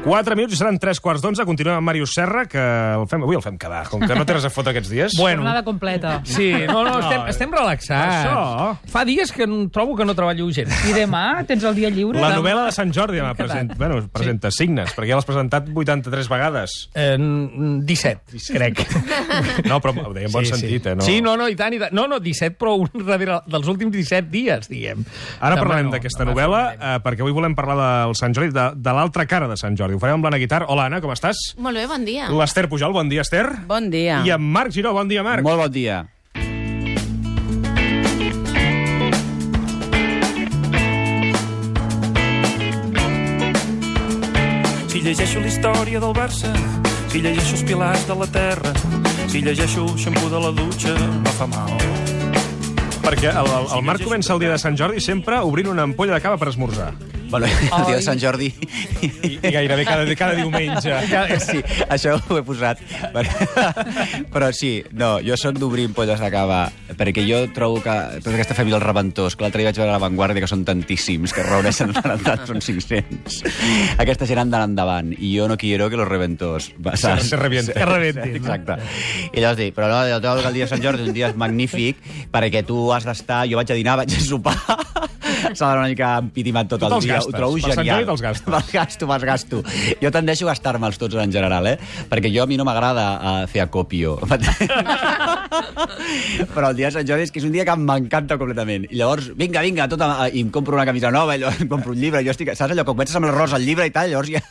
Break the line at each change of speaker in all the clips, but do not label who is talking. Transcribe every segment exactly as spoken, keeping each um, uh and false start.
Quatre minuts i seran tres quarts d'onze. Continuem amb Màrius Serra, que el fem, avui el fem quedar, com que no té res a fotre aquests dies.
Bueno,
jornada completa.
Sí, no, no, estem, estem relaxats.
Això.
Fa dies que no, trobo que no treballo gens.
I demà tens el dia lliure?
La
Demà.
novel·la de Sant Jordi demà presenta, bueno, presenta sí. signes, perquè ja l'has presentat vuitanta-tres vegades.
Eh, disset, crec.
No, però ho deia en bon
Sí,
sentit,
sí.
eh? No?
Sí, no, no, i tant, i tant. No, no, disset, però un darrere dels últims disset dies, diguem.
Ara
Demà
parlem
no,
d'aquesta
demà
novel·la,
parlarem.
eh, perquè avui volem parlar del Sant Jordi, de, de l'altra cara de Sant Jordi. Ho farem amb l'Anna Guitar. Hola, Anna, com estàs?
Molt bé, bon dia.
L'Ester Pujol, bon dia, Ester.
Bon dia.
I en Marc Giró, bon dia, Marc.
Molt bon dia.
Si llegeixo la història del Barça, si llegeixo els pilars de la terra, si llegeixo el xampú de la dutxa, no fa mal.
Perquè el, el, el Marc comença el dia de Sant Jordi sempre obrint una ampolla de cava per esmorzar.
Bueno, el dia de Sant Jordi...
I, i gairebé cada, cada diumenge.
Sí, això ho he posat. Però sí, no, jo sóc d'obrir ampolles de cava, perquè jo trobo que tota aquesta família dels rebentors, que l'altre dia vaig veure a La Vanguardia, que són tantíssims, que reuneixen en realitat són cinc-cents. Aquesta gent han d'anar endavant, i jo no quiero que los reventors...
Se, se revienten.
Que rebentin.
Exacte. I llavors dic, però no, jo trobo que el dia de Sant Jordi és un dia magnífic, perquè tu has d'estar... Jo vaig a dinar, vaig a sopar... S'ha d'anar una mica empitimat tot el dia. Ho trobo
Per Sant
genial.
Jordi te'ls gastes.
Me'ls gasto, me'ls gasto. Jo tendeixo a gastar-me'ls tots en general, eh? Perquè jo a mi no m'agrada uh, fer acopio. Però el dia de Sant Jordi és que és un dia que m'encanta completament. I llavors, vinga, vinga, tot a, i em compro una camisa nova, i llavors em compro un llibre, jo estic... Saps allò, que comences amb l'arròs al llibre i tal, llavors ja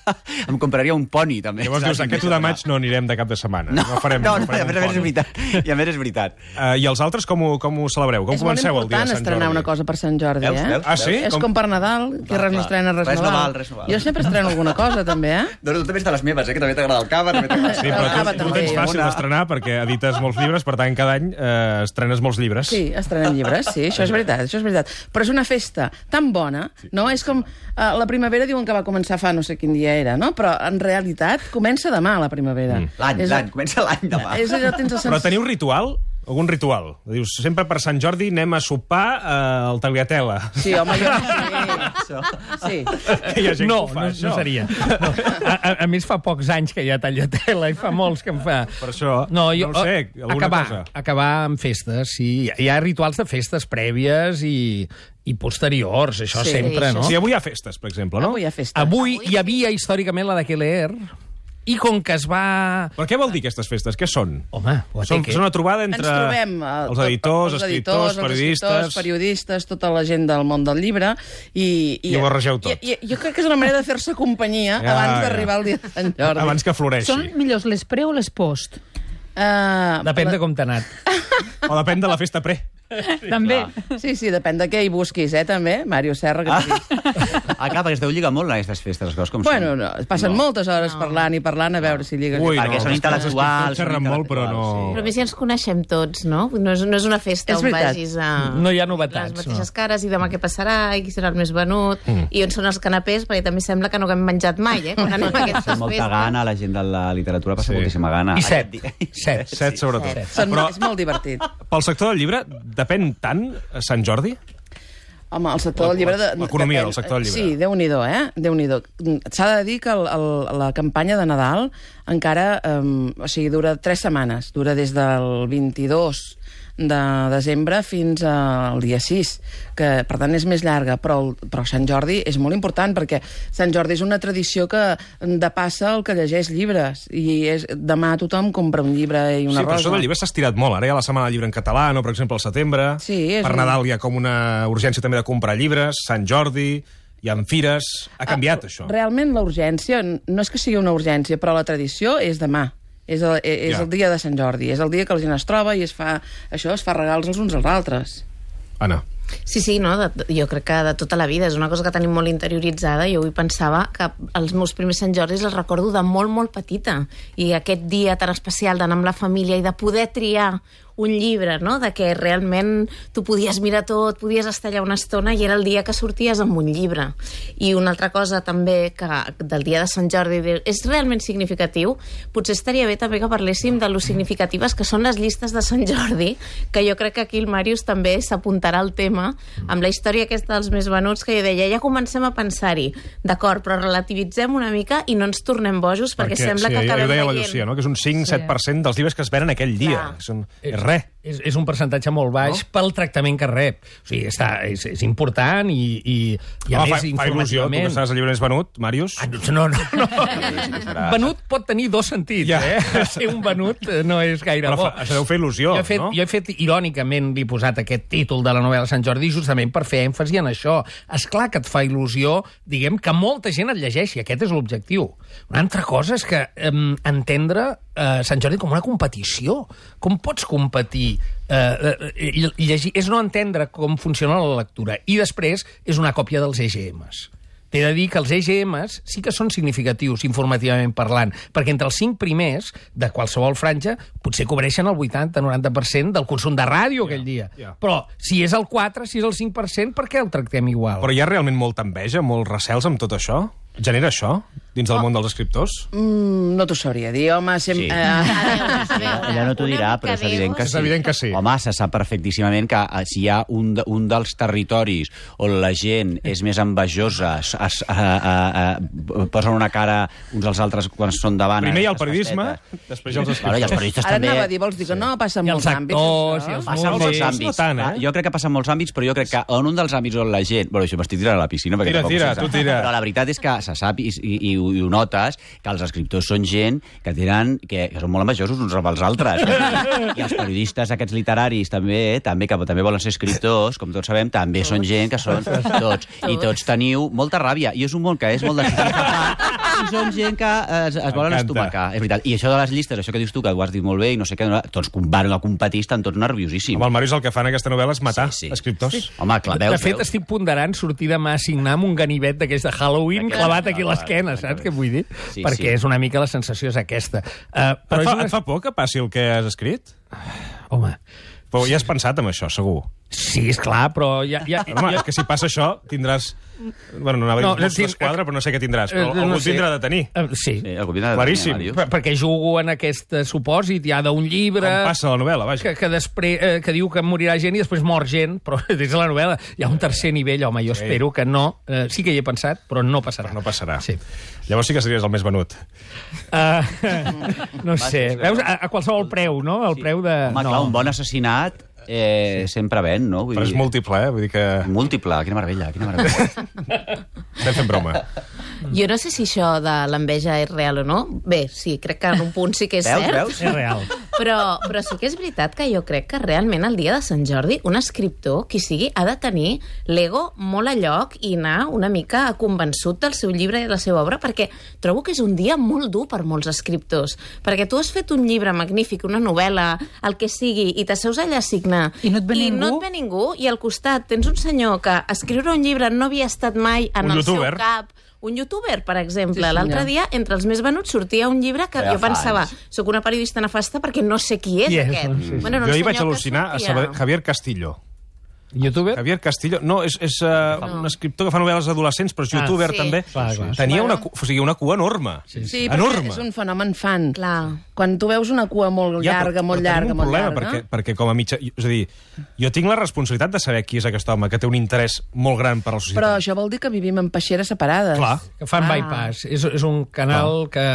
em compraria un poni, també.
Llavors dius, aquest u de maig no anirem de cap de setmana.
No,
no farem,
no,
no
no,
farem
a més a més és veritat. I a més és veritat.
Uh, I els altres com ho, com ho celebreu? Com
És molt
comenceu el dia de
important
Sant
estrenar
Jordi?
una cosa per Sant Jordi,
Veus,
eh?
veus?
Ah, sí?
És
Com-
com per Nadal, que res no estrena, res,
Res
no
no
val.
val, res no val.
Jo sempre estreno alguna cosa, també, eh?
No, no, tu també ets de les meves, eh? Que també t'agrada el cava, també t'agrada...
Sí, però
El cava
tu, tu
també,
tens
jo.
fàcil d'estrenar perquè edites molts llibres, per tant, cada any eh, estrenes molts llibres.
Sí, estrenem llibres, sí, això és veritat, això és veritat. Però és una festa tan bona, no? És com... Uh, la primavera diuen que va començar fa no sé quin dia era, no? Però en realitat comença demà, la primavera.
Mm.
L'any,
És-
l'any, comença l'any demà.
És allò, tens el
Però
sens...
teniu ritual? Algun ritual? Dius, sempre per Sant Jordi anem a sopar eh, al Tagliatella.
Sí, home, jo sí. Sí.
Que hi ha gent
No,
que ho fa,
no,
això.
no seria. No. A, a, a més, fa pocs anys que hi ha Tagliatella i fa molts que em fa...
Per això,
No, jo,
no ho sé, alguna
acabar,
cosa.
acabar amb festes, sí. Hi ha rituals de festes prèvies i, i posteriors, això
Sí,
sempre,
això
no?
Sí, avui hi ha festes, per exemple, no?
Avui hi ha festa.
Avui hi havia històricament la de Keller, i com que es va...
Però què vol dir aquestes festes? Què són?
Home, ho
Són,
té que...
són una trobada entre
Ens trobem eh,
els
tot-
editors,
els
escriptors,
els
periodistes...
escriptors, periodistes, tota la gent del món del llibre. I,
I ho barregeu tot.
I, i, jo crec que és una manera de fer-se companyia
Ja,
abans
ja.
d'arribar al dia de Sant Jordi.
Abans que floreixi.
Són millors les pre o les post?
Uh,
Depèn de com t'ha anat.
O depèn de la festa pre.
També.
Sí, sí, depèn de què hi busquis, eh, també, Màrius Serra, que t'ho dic.
Ah, clar, perquè es deu lligar molt en aquestes festes, les coses com
Bueno,
són.
no, passen moltes hores parlant i parlant a veure si lligues.
Ui,
Perquè
no,
són
els
intel·lectuals.
escriptors xerren
són
molt, però no-
intel·lectuals,
Però a més ja ens coneixem tots, no? No és, no és una festa
És
on
veritat.
vagis a...
No hi ha novetats,
Les mateixes
no.
cares i demà què passarà i qui serà el més venut i on són els canapés, perquè també sembla que no haguem menjat mai, eh? Quan anem a aquestes
Té molta
festes.
gana, la gent de la literatura passa
Sí.
moltíssima gana.
I set.
Aquest dia-
Set.
Set, sobretot.
Set.
Són,
Però
És molt divertit.
pel sector del llibre depèn tant Sant Jordi?
Home, el sector del llibre... De,
L'economia
depèn-
del sector del llibre.
Sí, Déu-n'hi-do, eh? Déu-n'hi-do. S'ha de dir que el, el, la campanya de Nadal encara... Um, o sigui, dura tres setmanes. Dura des del vint-i-dos de desembre fins al dia sis, que per tant és més llarga, però, el, però Sant Jordi és molt important, perquè Sant Jordi és una tradició que depassa el que llegeix llibres, i és, demà tothom compra un llibre i una
Sí, però
rosa.
això del llibre s'ha estirat molt. Ara hi ha la setmana del llibre en català, no? Per exemple, al setembre.
Sí, és
per
un-
Nadal hi ha com una urgència també de comprar llibres. Sant Jordi, hi ha fires... Ha canviat,
Ah,
això.
Realment la urgència, no és que sigui una urgència, però la tradició és demà. És, el, és
Ja.
el dia de Sant Jordi. És el dia que la gent es troba i es fa, això, es fa regals els uns als altres.
Anna.
Sí, sí, no? De, jo crec que de tota la vida és una cosa que tenim molt interioritzada. Jo avui pensava que els meus primers Sant Jordis els recordo de molt, molt petita. I aquest dia tan especial d'anar amb la família i de poder triar un llibre, no? De que realment tu podies mirar tot, podies estar allà una estona i era el dia que sorties amb un llibre. I una altra cosa també que del dia de Sant Jordi és realment significatiu, potser estaria bé també que parléssim de lo significatives que són les llistes de Sant Jordi, que jo crec que aquí el Màrius també s'apuntarà al tema, amb la història aquesta dels més venuts, que jo deia, ja comencem a pensar-hi, d'acord, però relativitzem una mica i no ens tornem bojos, perquè, perquè sembla
sí,
que acabem
veient... Ja ho deia la
veient...
Llucia, no? Que és un cinc set per cent dels llibres que es venen aquell dia. Són... És res.
És, és un percentatge molt baix no? pel tractament que rep. O sigui, està, és, és important i, i, i a
Home,
més,
fa, fa il·lusió, tu que estàs al llibre més venut, Màrius.
Ah, no, no, no. Venut pot tenir dos sentits, ja. eh? Ser un venut no és gaire
Però
bo.
Fa, això deu fer il·lusió,
jo he fet,
no?
Jo he fet, irònicament, li he posat aquest títol de la novel·la Sant Jordi justament per fer èmfasi en això. És clar que et fa il·lusió, diguem, que molta gent et llegeixi. Aquest és l'objectiu. Una altra cosa és que eh, entendre eh, Sant Jordi com una competició. Com pots competir? Eh, eh, llegir, és no entendre com funciona la lectura. I després és una còpia dels E G Ms. T'he de dir que els E G Ms sí que són significatius informativament parlant, perquè entre els cinc primers de qualsevol franja potser cobreixen el vuitanta noranta per cent del consum de ràdio aquell dia.
Yeah.
Però si és el quatre, si és el cinc per cent, per què el tractem igual?
Però hi ha realment molta enveja, molts recels amb tot això? Genera això dins del
oh.
món dels escriptors?
Mm, no t'ho sabria dir, home. Sem...
Sí.
Uh...
Ella no t'ho dirà, però és evident que
És
sí.
evident que sí.
Home, se sap perfectíssimament que eh, si hi ha un, de, un dels territoris on la gent és més envejosa, es, es, eh, eh, eh, posen una cara uns als altres quan són davant...
Primer hi ha el
les
periodisme,
festetes.
després hi ha els escriptors.
Bueno, i els periodistes
Ara
també...
anava a dir, vols dir que no? Passa en
I
molts
els
àmbits.
actors,
això.
i els
Passa en molts
músics,
àmbits.
no tant, eh?
Jo crec que passa en molts àmbits, però jo crec que en un dels àmbits on la gent... Bueno, això m'estic tirant a la piscina, perquè
Tira,
tampoc
tira,
se sap.
tu tira.
Però la veritat és que se sap i, i, i, ho- i ho notes, que els escriptors són gent que tenen que, que són molt envejosos uns amb els altres. I els periodistes aquests literaris també, també que també volen ser escriptors, com tots sabem, també són gent que són tots. I tots teniu molta ràbia. I és un món que és molt de i són gent que es, es volen
M'encanta.
estomacar. És veritat. I això de les llistes, això que dius tu, que ho has dit molt bé i no sé què, tots van a competir, estan tots nerviosíssims.
Amb el Màrius el que fan en aquesta novel·la és matar
Sí, sí.
escriptors.
Sí. Home, clar, veus,
de fet,
veus.
estic ponderant sortir demà a signar amb un ganivet d'aquells de Halloween
D'aquest,
clavat aquí a
clar,
l'esquena,
clar,
saps
clar.
què vull dir?
Sí,
Perquè
sí.
és una mica la sensació és aquesta. Uh,
Et fa,
una...
et fa por que passi el que has escrit?
Home,
Però ja has pensat en això, segur.
sí, és clar, però ja... ja,
Home, és que si passa això, tindràs... Bueno, no anava a dir
No,
no, Mossos
tinc-
d'Esquadra, però no sé què tindràs. Però
Eh,
algú
no
et
sé.
tindrà de tenir.
Eh, sí,
Sí, algú vindrà de
Claríssim.
tenir, Màrius.
per- perquè jugo en aquest eh, supòsit ja d'un llibre...
Com passa a la novel·la, vaja.
que, que, després, eh, que diu que morirà gent i després mor gent, però des de la novel·la hi ha un tercer nivell, home, jo
Sí.
espero que no. Eh, sí que hi he pensat, però no passarà.
Però no passarà.
Sí.
Llavors sí que series el més venut.
Uh, no sé, veus, a, a qualsevol preu, no? El preu de...
Home,
no.
clar, un bon assassinat eh, sempre ven, no? Vull
Però és
dir-
múltiple, eh? Vull dir que...
Múltiple, quina meravella, quina meravella.
Estem fent broma.
Jo no sé si això de l'enveja és real o no. Bé, sí, crec que en un punt sí que és
Veus,
cert.
veus?
És real.
Però, però sí que és veritat que jo crec que realment el dia de Sant Jordi un escriptor, qui sigui, ha de tenir l'ego molt a lloc i anar una mica convençut del seu llibre i de la seva obra, perquè trobo que és un dia molt dur per molts escriptors. Perquè tu has fet un llibre magnífic, una novel·la, el que sigui, i t'asseus allà a signar.
I no et ve
I
ningú.
no et ve ningú, i al costat tens un senyor que escriure un llibre no havia estat mai en
Un
el
youtuber.
seu cap. Un youtuber, per exemple.
Sí, senyor.
L'altre dia, entre els més venuts, sortia un llibre que
Ja
jo
fa
pensava,
anys.
soc una periodista nefasta perquè no sé qui és
Qui és,
aquest.
sí, sí.
Bueno, era un
Jo hi vaig
senyor que
al·lucinar a
sortia.
Saber- Javier Castillo.
Youtuber?
Javier Castillo... No, és, és uh,
No.
un escriptor que fa novel·les adolescents, però és
Ah,
youtuber
sí.
també.
Clar, clar.
Tenia
Bueno.
una, cu- o sigui, una cua enorme.
Sí,
Sí, perquè
enorme.
és un fenomen fan.
Clar.
Quan tu veus una cua molt
Ja,
llarga,
però-
molt
però tenim
llarga,
un
molt
problema,
llarga...
Perquè, perquè com a mitja... És a dir, jo tinc la responsabilitat de saber qui és aquest home, que té un interès molt gran per a la societat.
Però això vol dir que vivim en peixeres separades.
Clar.
Que fan
Ah.
bypass. És, és un canal que,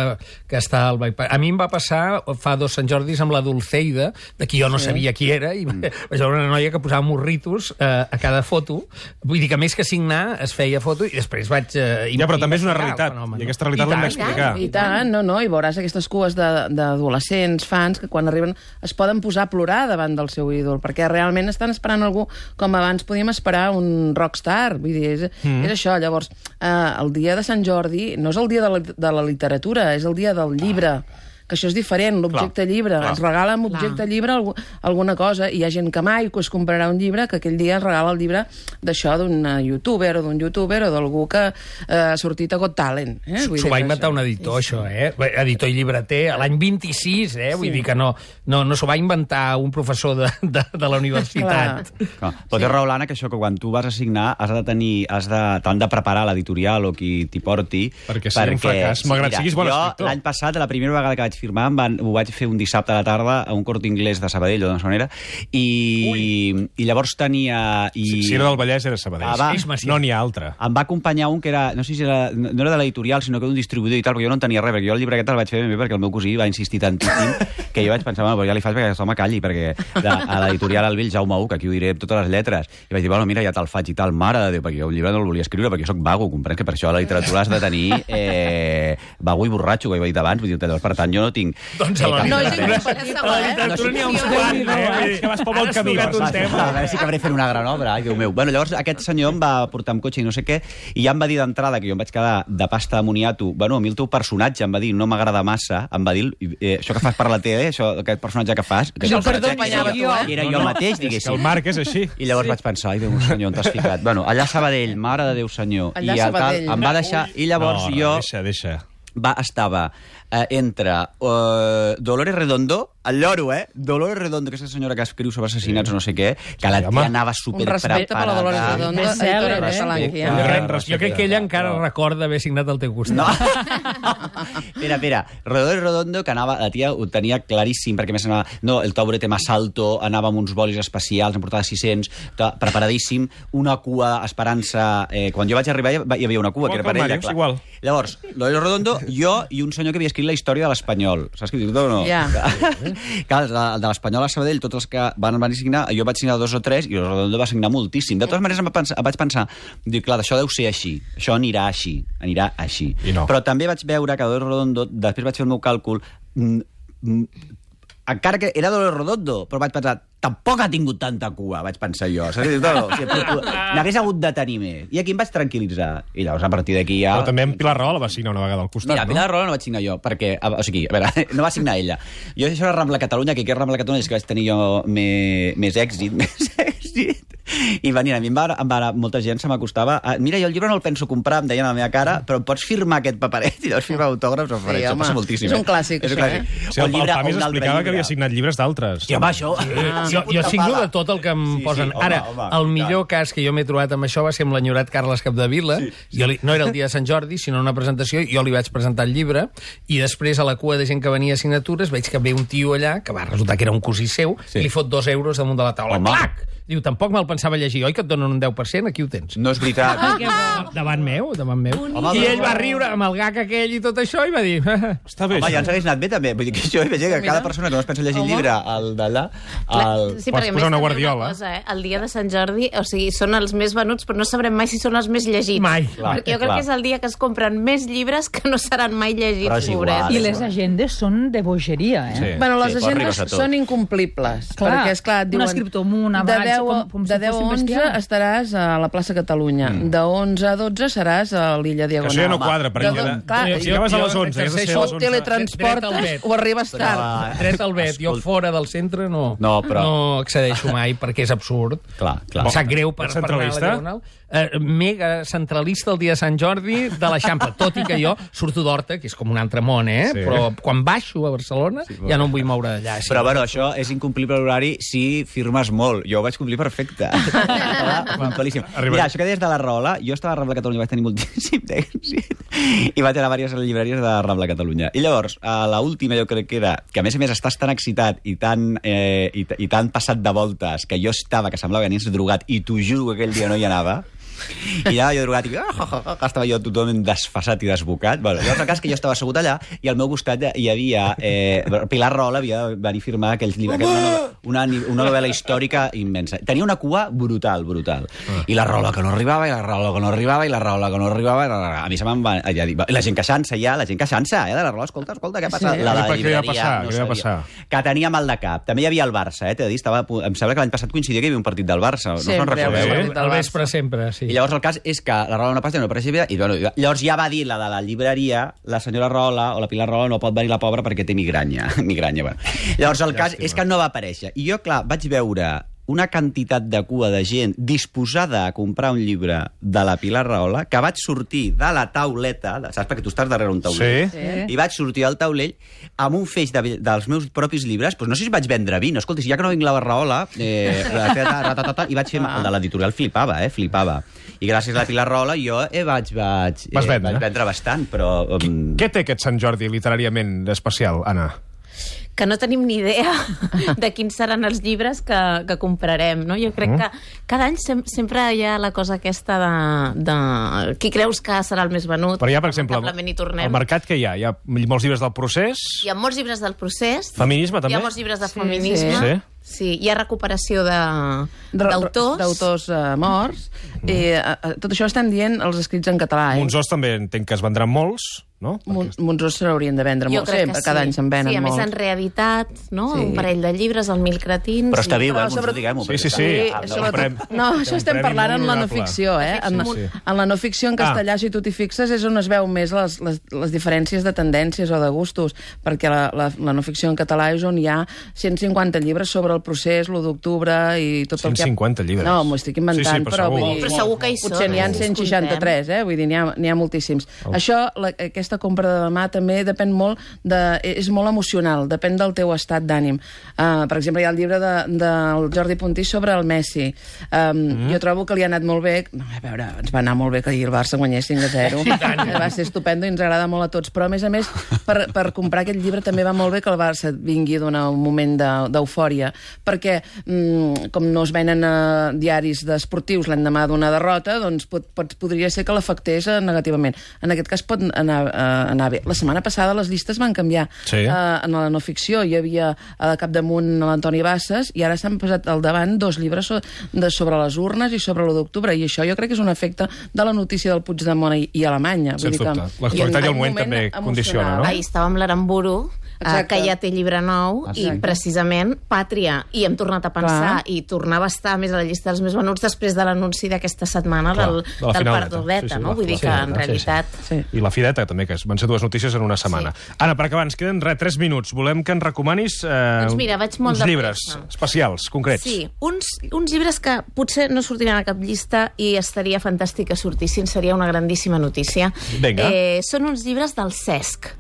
que està al bypass. A mi em va passar fa dos Sant Jordis amb la Dulceida, de qui jo no sabia qui era, i mm. vaig veure una noia que posava morritos eh, a cada foto. Vull dir que més que signar es feia foto i després vaig... Eh,
Ja, però també és una
investigar el
realitat,
fenomen,
i
no?
aquesta realitat
I
l'hem
tant,
d'explicar.
I tant, no, no, i veuràs aquestes cues de- d'adolescents, fans, que quan arriben es poden posar a plorar davant del seu ídol, perquè realment estan esperant algú com abans podíem esperar un rockstar. Vull dir, és, mm. és això. Llavors, eh, el dia de Sant Jordi no és el dia de la, de la literatura, és el dia del llibre. que això és diferent, l'objecte llibre.
clar.
Es regala amb objecte
Clar.
llibre algú, alguna cosa, i hi ha gent que mai es comprarà un llibre, que aquell dia es regala el llibre d'això d'un youtuber o d'un youtuber o d'algú que eh, ha sortit a Got Talent. Eh? Vull
S'ho
dir
va
que
inventar
això-
un editor, això, eh? Editor i llibreter, a l'any vint-i-sis, eh? Vull
Sí.
dir que no, no, no s'ho va inventar un professor de, de, de la universitat.
Clar. Però té raó, l'Anna, que això, que quan tu vas a signar has de tenir, has de, t'han de preparar l'editorial o qui t'hi porti.
Perquè sigui un fracàs, malgrat
mira,
siguis bon
jo,
escriptor.
l'any passat, la primera vegada que vaig firmar, em van, ho vaig fer un dissabte a la tarda a un Corte Inglés de Sabadell, o d'on sonera, i, i llavors tenia... I...
Si, si era del Vallès, era Sabadell.
Ah, va.
És massiu.
No n'hi ha altre.
Em va acompanyar un que era, no sé si era, no era de l'editorial, sinó que d'un distribuïdor i tal, perquè jo no en tenia res, perquè jo el llibre aquest el vaig fer ben bé perquè el meu cosí va insistir tantíssim que jo vaig pensar, bueno, però ja li faig perquè aquest home calli, perquè de, a l'editorial al vell Jaume U, que aquí ho diré amb totes les lletres, i vaig dir, bueno, mira, ja te'l faig i tal, mare de Déu, perquè jo el llibre no el volia escriure, perquè jo soc vago, comprens que per això a la literatura has de tenir eh, vago i borratxo, que ho he dit abans, vull dir, llavors, per tant, jo no tinc...
Doncs a la
cap
No és
interès.
incompatible,
A la
eh?
literatura n'hi ha uns
No,
quants,
no,
eh?
és que vas pel bon
Has
camí,
tocat un
Va,
tema.
a veure si acabaré fent una gran obra, ai, Déu meu. Bueno, llavors aquest senyor em va portar amb cotxe i no sé què, i ja em va dir d'entrada, que jo em vaig quedar de pasta de moniato, bueno, a mi el teu personatge em va dir, no m'agrada massa, em va dir, eh, això que fas per la tele, això, aquest personatge que fas... Que
Jo,
és el
perdó,
personatge
era
que
jo,
I era jo mateix,
És que el
diguéssim.
Marc és així.
I llavors vaig pensar, ai, Déu meu senyor, on t'has ficat? Bueno, allà a Sabadell, mare de Déu senyor.
Allà
I
a
el tal,
Sabadell.
em va deixar, i llavors
no,
jo...
No, deixa, deixa.
Va, estava eh, entre uh, Dolores Redondo, el lloro, eh? Dolores Redondo, aquesta senyora que escriu sobre assassinats o no sé què, que la
Sí,
tia
home.
anava
Un
super
respecte per la Dolores
preparada.
Redondo,
Bestseller,
editora de
eh?
Palanquia.
Ah,
Gran
Jo
respecte.
crec que ella encara
No.
recorda haver signat al teu costat.
No. Espera, espera. Rodolfo Redondo, que anava, la tia ho tenia claríssim, perquè a més anava, no, el taburete más alto, anava amb uns bolis especials, en portava sis-cents, ta- preparadíssim, una cua esperant-se... Eh, quan jo vaig arribar hi hi havia una cua,
Igual
que era
que el
per ella,
Màrius,
clar.
igual.
Llavors, Rodolfo Redondo, jo i un senyor que havia escrit la història de l'Espanyol. Saps què dic o no?
Ja.
Clar, el de, de l'Espanyol a Sabadell, tots els que van, van signar, jo vaig signar dos o tres i el Redondo va signar moltíssim. De totes maneres, em, va pensar, em vaig pensar, dic, clar, això deu ser així, això anirà així, anirà així.
I no.
Però també vaig veure que Dolores Redondo, després vaig fer el meu càlcul, mm, mm, encara que era Dolores Redondo, però vaig pensar, tampoc ha tingut tanta cua, vaig pensar jo. Saps? No, no, o sigui, però- n'hagués hagut de tenir més. I aquí em vaig tranquil·litzar. I llavors, a partir d'aquí ja...
Però també en Pilar Rahola va signar una vegada al costat,
Mira,
no?
Pilar Rahola no vaig signar jo, perquè, a- o sigui, a veure, no va signar ella. Jo això era Rambla Catalunya, que aquí a Rambla Catalunya és que vaig tenir jo més, més èxit, més èxit. I venien, a mi em va, em va, molta gent se m'acostava, a, mira, jo el llibre no el penso comprar, em deien a la meva cara, però em pots firmar aquest paperet? I llavors firmar autògrafs o
Sí,
faré, això
home,
passa moltíssim.
és un clàssic,
és un
això,
clàssic.
Sí, el, el
llibre,
Pamis
o un altre
explicava que
llibre.
havia signat llibres d'altres.
Sí, home, això...
Ah, jo, jo signo de tot el que em
Sí, sí,
posen.
home,
Ara,
home,
el
i
millor
tant.
cas que jo m'he trobat amb això va ser amb l'enyorat Carles Capdevila. Sí, sí. Jo li, no era el dia de Sant Jordi, sinó una presentació, jo li vaig presentar el llibre, i després a la cua de gent que venia a signatures veig que ve un tio allà, que va resultar que era un cosí seu,
Sí.
i li fot dos euros damunt de la taula.
Home.
Clac! Diu, tampoc me'l pensava llegir, oi, que et donen un deu per cent? Aquí ho tens.
No és veritat.
Davant meu, davant meu.
Home,
I
però-
ell va riure amb el gag aquell i tot això i va dir...
Està bé,
Home, ja
això.
ens hagués anat bé, també. Vull dir que jo veig que cada persona que no es pensa llegir el llibre, el d'allà... El...
Sí,
Pots
perquè a
posar
més
una
també
guardiola.
cosa, eh? El dia de Sant Jordi, o sigui, són els més venuts, però no sabrem mai si són els més llegits.
Mai.
Clar,
Perquè jo crec
clar.
que és el dia que es compren més llibres que no seran mai
Però
llegits,
és igual.
pobrets.
I les agendes són de bogeria, eh?
Sí.
Bueno, les
Sí, però
agendes
arribes a tot.
són incomplibles.
Clar,
perquè, esclar, et
un
diuen...
escriptor amunt, avall,
de deu,
com- com si
de deu a
fossin
onze
bestiar.
estaràs a la plaça Catalunya. Mm. De onze a dotze seràs a l'illa
Que
Diagonal.
això ja no quadra,
De
perquè...
do-
ja-
clar,
si acabes a les onze, has de ser a
o
les onze.
Dret al
teletransportes
vet.
o arribes
Però,
tard.
Dret al vet. Jo fora del centre no,
No, però-
no accedeixo mai perquè és absurd.
Clar, clar.
Em sap greu per,
Ets
per anar a la
centralista?
Diagonal. Eh, mega centralista el dia de Sant Jordi de l'Eixample, tot i que jo surto d'Horta, que és com un altre món, eh?
Sí.
Però quan baixo a Barcelona sí, ja no em vull moure d'allà. Sí.
Però, bueno, això és incomplible l'horari si firmes molt. Jo ho vaig complir perfecte. Estava puntualíssim.
Arriba.
Mira, això que deies de la Rahola, jo estava a Rambla Catalunya, vaig tenir moltíssim d'èxit, i vaig anar a diverses llibreries de Rambla Catalunya. I llavors, a l'última jo crec que era, que a més a més estàs tan excitat i tan, eh, i, i tan passat de voltes, que jo estava, que semblava que anies drogat, i t'ho juro que aquell dia no hi anava, i anava jo drogat i ah, ah, ah, ah, estava jo totalment desfasat i desbocat. Bueno, llavors el cas que jo estava assegut allà i al meu costat hi havia eh, Pilar Rahola havia de venir a firmar aquells llibres, aquella, una, una, una novel·la històrica immensa. Tenia una cua brutal, brutal. Ah. I la Rahola que no arribava, i la Rahola que no arribava, i la Rahola que no arribava, i la... a mi se me'n va... Ja dic, la gent queixant-se ja, la gent queixant-se, eh, de la Rahola, escolta, escolta, què passa?
Sí.
La, la
Però què li va
llibreria
passar?
no
Què li va
sabia.
passar?
Que tenia mal de cap. També hi havia el Barça, eh, t'he de dir, estava, a punt- em sembla que l'any passat coincidia que hi havia un partit del Barça. No se'n
Sempre,
recordeu?
el
Al
partit del
vespre sempre, sí.
I llavors el cas és que la Rahola no passa, no apareix, i bueno, llavors ja va dir la de la llibreria, la senyora Rahola o la Pilar Rahola no pot venir la pobra perquè té migranya. migranya bueno. Llavors el cas és que no va aparèixer. I jo, clar, vaig veure una quantitat de cua de gent disposada a comprar un llibre de la Pilar Rahola, que vaig sortir de la tauleta, saps? Perquè tu estàs darrere un taulell.
Sí.
Sí.
I vaig sortir al taulell amb un feix de, dels meus propis llibres. Doncs no sé si vaig vendre vi. No, escolta, si ja que no vinc la Rahola, eh, i vaig fer... El de l'editorial flipava, eh? Flipava. I gràcies a la Pilar Rahola jo eh, vaig, vaig, eh,
Vas vendre.
vaig vendre bastant, però... Um...
Què té aquest Sant Jordi literàriament especial, Anna?
Que no tenim ni idea de quins seran els llibres que, que comprarem, no? Jo crec que cada any sem sempre hi ha la cosa aquesta de, de qui creus que serà el més venut.
Però hi ha, per exemple,
Lamentablement hi tornem.
al mercat que hi ha? Hi ha molts llibres del procés?
Hi ha molts llibres del procés.
Feminisme, també?
Hi ha molts llibres de
Sí,
feminisme.
sí.
Sí, hi ha recuperació de- d'autors.
D'autors uh, morts. Mm. I uh, tot això estan dient els escrits en català. Eh?
Monzós també entenc que es vendran molts, no?
Mon Monzós se l'haurien de vendre
Jo
molt
crec
sempre,
que
cada
sí.
any se'n venen
Sí, a més
molts.
han reeditat, no?
Sí.
Un parell de llibres, el Mil Cretins.
Però està
i-
viu, eh,
Però
el Monzó,
sobretot-
diguem-ho.
Sí,
perquè
sí,
està
sí.
viu.
Sí,
Ah,
sobretot...
prem-
No,
té
això
un
estem
premi
parlant
molt
en la no
honorable.
ficció, eh? En,
Sí, sí.
en la no ficció en castellà, si tu t'hi fixes, és on es veu més les, les, les diferències de tendències o de gustos, perquè la, la, la no ficció en català és on hi ha cent cinquanta llibres sobre el procés, l'u d'octubre i tot el que...
cent cinquanta llibres.
No, m'ho estic inventant,
Sí, sí, però
però,
segur.
vull dir...
Però segur que hi són,
Potser n'hi ha
eh?
cent seixanta-tres, eh? Vull dir, n'hi ha, n'hi ha moltíssims.
Oh.
Això, la, aquesta compra de demà també depèn molt de... és molt emocional, depèn del teu estat d'ànim. Uh, per exemple, hi ha el llibre de, del Jordi Puntí sobre el Messi. Um, mm. Jo trobo que li ha anat molt bé... No, a veure, ens va anar molt bé que ahir el Barça guanyés cinc a zero. Va ser estupendo i ens agrada molt a tots. Però, a més a més, per, per comprar aquest llibre també va molt bé que el Barça vingui d'un moment d'eufòria, perquè mm, com no es venen uh, diaris d'esportius l'endemà d'una derrota, doncs pot, pot, podria ser que l'afectés uh, negativament. En aquest cas pot anar, uh, anar bé. La setmana passada les llistes van canviar.
Sí.
Uh, en la no ficció hi havia a capdamunt l'Antoni Bassas i ara s'han posat al davant dos llibres so de, sobre les urnes i sobre l'u d'octubre, i això jo crec que és un efecte de la notícia del Puigdemont i, i Alemanya.
Sens
Vull dir
dubte.
que-
L'actualitat i el
un
moment també
emocional.
condiciona, no?
Ahir estava amb l'Aramburu, eh,
Exacte.
que ja té llibre nou,
Exacte.
i precisament Pàtria, i hem tornat a pensar,
Clar.
i tornava a estar més a la llista dels més venuts després de l'anunci d'aquesta setmana
Clar,
del,
de la
del
finaleta.
Perdudeta,
Sí, sí,
no?
la-
Vull dir
la
que, en
finaleta, sí,
realitat...
Sí.
I la Fideta, també, que van ser dues notícies en una setmana.
Sí.
Anna, per acabar, ens queden res, tres minuts. Volem que ens recomanis eh,
Doncs mira, vaig molt
uns
de
llibres
pressa.
especials, concrets.
Sí, uns, uns llibres que potser no sortiran a cap llista i estaria fantàstic que sortissin, seria una grandíssima notícia.
Vinga.
Eh, són uns llibres del Cesc,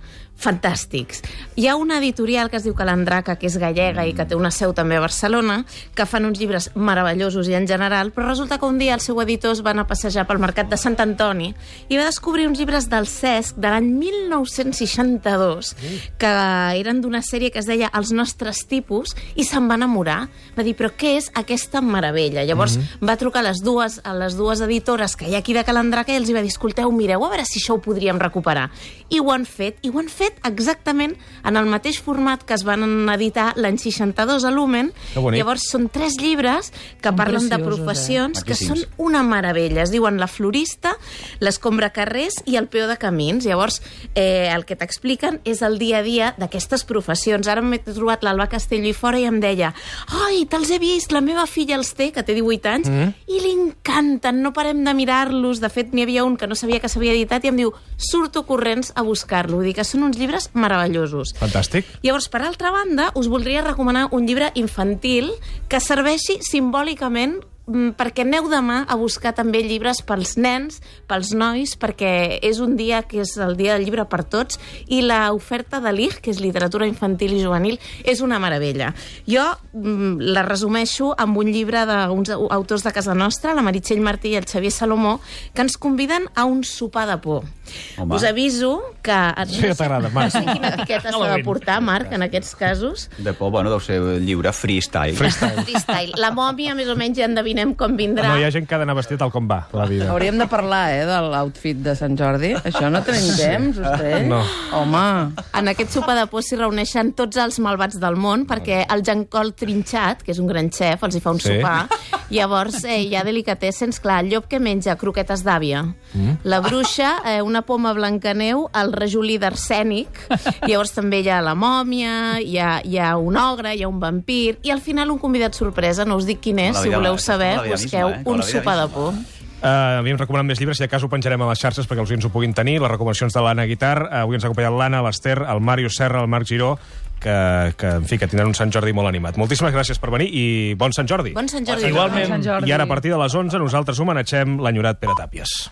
fantàstics. Hi ha una editorial que es diu Calandraca, que és gallega i que té una seu també a Barcelona, que fan uns llibres meravellosos i en general, però resulta que un dia el seu editor es va anar a passejar pel mercat de Sant Antoni i va descobrir uns llibres del Cesc de l'any mil nou-cents seixanta-dos, que eren d'una sèrie que es deia Els nostres tipus, i se'n va enamorar. Va dir, però què és aquesta meravella? Llavors
Mhm.
va trucar a les dues, a les dues editores que hi ha aquí de Calandraca i els hi va dir, escolteu, mireu, a veure si això ho podríem recuperar. I ho han fet, i ho han fet exactament en el mateix format que es van editar l'any seixanta-dos a Lumen.
Que bonic.
Llavors són tres llibres que
Són
parlen de
preciosos,
professions
eh?
que són
Maquíssims.
una meravella. Es diuen la florista, l'escombra carrers i el peó de camins. Llavors, eh, el que t'expliquen és el dia a dia d'aquestes professions. Ara m'he trobat l'Alba Castelló i fora i em deia, ai, te'ls he vist, la meva filla els té, que té divuit anys, mm. i li encanten, no parem de mirar-los. De fet, n'hi havia un que no sabia que s'havia editat i em diu, surto corrents a buscar-lo. Vull dir que són uns llibres meravellosos.
Fantàstic.
Llavors, per altra banda, us voldria recomanar un llibre infantil que serveixi simbòlicament mm, perquè aneu demà a buscar també llibres pels nens, pels nois, perquè és un dia que és el dia del llibre per tots, i l'oferta de l'I G, que és literatura infantil i juvenil, és una meravella. Jo mm, la resumeixo amb un llibre d'uns autors de casa nostra, la Meritxell Martí i el Xavier Salomó, que ens conviden a un sopar de por.
Home.
Us aviso que...
Sí que t'agrada, Marc.
No sé quina etiqueta s'ha de portar, Marc, en aquests casos.
De por, bueno, deu ser lliure freestyle.
Freestyle.
Freestyle. La mòmia, més o menys, ja endevinem com vindrà.
No, hi ha gent que ha d'anar vestit tal com va, la vida.
Hauríem de parlar, eh, de l'outfit de Sant Jordi. Això no tenim temps, vostè?
No.
Home...
En aquest sopar de por s'hi reuneixen tots els malvats del món, perquè el Jean-Col Trinxat, que és un gran xef, els hi fa un
Sí.
sopar. Llavors eh, hi ha delicatessens, clar, el llop que menja croquetes d'àvia, mm. la bruixa, eh, una poma blancaneu, el rajolí d'arsènic, llavors també hi ha la mòmia, hi ha, hi ha un ogre, hi ha un vampir, i al final un convidat sorpresa, no us dic quin és,
La
si
vida-
voleu
aquesta
saber,
és la vida
busqueu
misma, eh? Com
un
la vida
sopar de
misma.
por.
Uh, havíem recomanat més llibres, si de cas ho penjarem a les xarxes perquè els oients ho puguin tenir. Les recomanacions de l'Anna Guitar. Uh, avui ens ha acompanyat l'Anna, l'Ester, el Màrius Serra, el Marc Giró, que, que, en fi, que tindran un Sant Jordi molt animat. Moltíssimes gràcies per venir i bon Sant Jordi.
Bon Sant Jordi.
Igualment.
Sant Jordi.
I ara, a partir de les onze, nosaltres homenatgem l'enyorat Pere Tàpies.